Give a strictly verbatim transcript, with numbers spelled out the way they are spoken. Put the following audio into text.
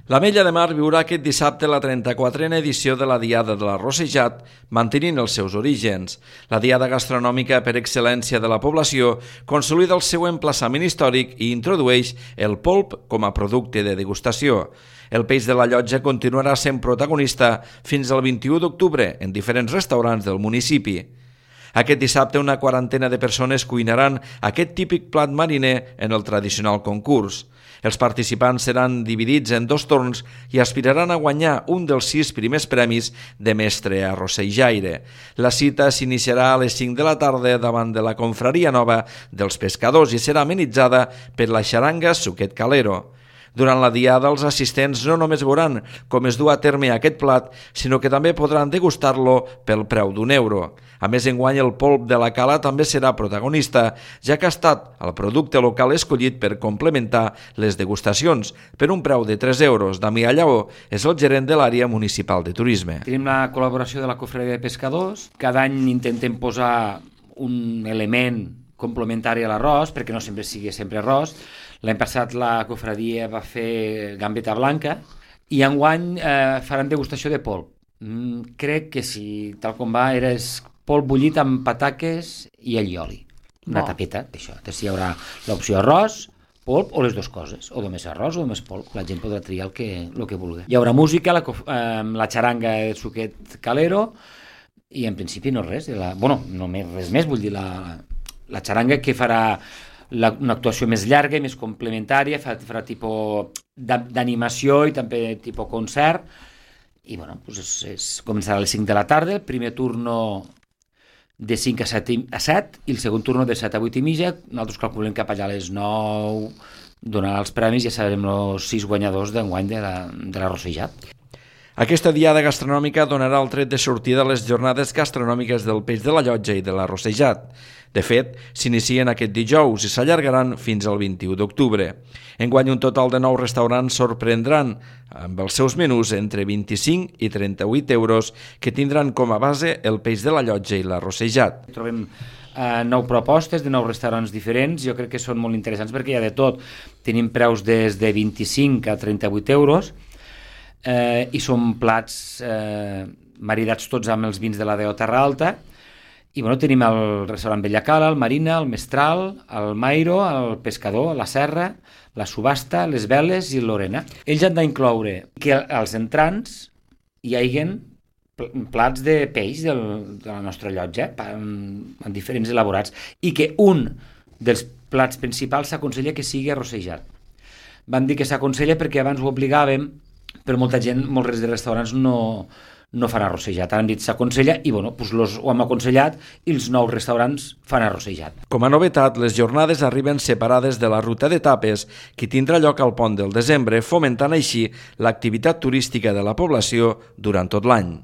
L'Ametlla de Mar viurà aquest dissabte la trenta-quatrena edició de la Diada de l'Arrossejat, mantenint els seus orígens. La diada gastronòmica per excel·lència de la població consolida el seu emplaçament històric i introdueix el polp com a producte de degustació. El peix de la llotja continuarà sent protagonista fins al vint-i-u d'octubre en diferents restaurants del municipi. Aquest dissabte una quarantena de persones cuinaran aquest típic plat mariner en el tradicional concurs. Els participants seran dividits en dos torns i aspiraran a guanyar un dels sis primers premis de mestre arrossejaire. La cita s'iniciarà a les cinc de la tarda davant de la Confraria Nova dels Pescadors i serà amenitzada per la xaranga Suquet Calero. Durant la diada, els assistents no només veuran com es du a terme aquest plat, sinó que també podran degustar-lo pel preu d'un euro. A més, enguany el polp de la cala també serà protagonista, ja que ha estat el producte local escollit per complementar les degustacions, per un preu de tres euros. Damià Lleó és el gerent de l'àrea municipal de turisme. Tenim la col·laboració de la Confraria de Pescadors. Cada any intentem posar un element complementari a l'arròs, perquè no sempre sigui sempre arròs. L'any passat la cofradia va fer gambeta blanca i enguany eh, faran degustació de polp. Mm, crec que si tal com va era polp bullit amb pataques i allioli. Una oh. tapeta d'això. Després hi haurà l'opció arròs, polp o les dues coses, o només arròs o només polp. La gent podrà triar el que, el que vulgui. Hi haurà música, la, eh, la xaranga de Suquet Calero i en principi no res. De la, bueno, no més, res més, vull dir la, la xaranga que farà La, una actuació més llarga i més complementària, farà, farà tipus d'animació i també tipus concert, i bueno, doncs és, és, començarà a les cinc de la tarda, el primer turno de cinc a set, a set i el segon turno de set a vuit i mitja. Nosaltres calculem cap allà a les nou donarà els premis i ja sabrem els sis guanyadors d'enguany de l'Arrossejat. Aquesta diada gastronòmica donarà el tret de sortida a les jornades gastronòmiques del peix de la llotja i de l'Arrossejat. De fet, s'inicien aquest dijous i s'allargaran fins al vint-i-u d'octubre. Enguany un total de nou restaurants sorprendran amb els seus menús entre vint-i-cinc i trenta-vuit euros que tindran com a base el peix de la llotja i l'Arrossejat. Trobem eh, nou propostes de nous restaurants diferents, jo crec que són molt interessants perquè hi ha de tot. Tenim preus des de vint-i-cinc a trenta-vuit euros, Eh, i són plats eh, maridats tots amb els vins de la D O Terra Alta i bueno, tenim el restaurant Bellacala, el Marina, el Mestral, el Mairo, el Pescador, la Serra, la Subhasta, les Veles i el Lorena. Ells han d'incloure que als entrants hi hagin plats de peix del, de la nostra llotja amb, amb diferents elaborats i que un dels plats principals s'aconsella que sigui arrossejat. Vam dir que s'aconsella perquè abans ho obligàvem, però molta gent, molts de restaurants no, no fan arrossejat. Han dit s'aconsella i bueno, doncs los, ho hem aconsellat i els nous restaurants fan arrossejat. Com a novetat, les jornades arriben separades de la ruta d'etapes que tindrà lloc al Pont del Desembre, fomentant així l'activitat turística de la població durant tot l'any.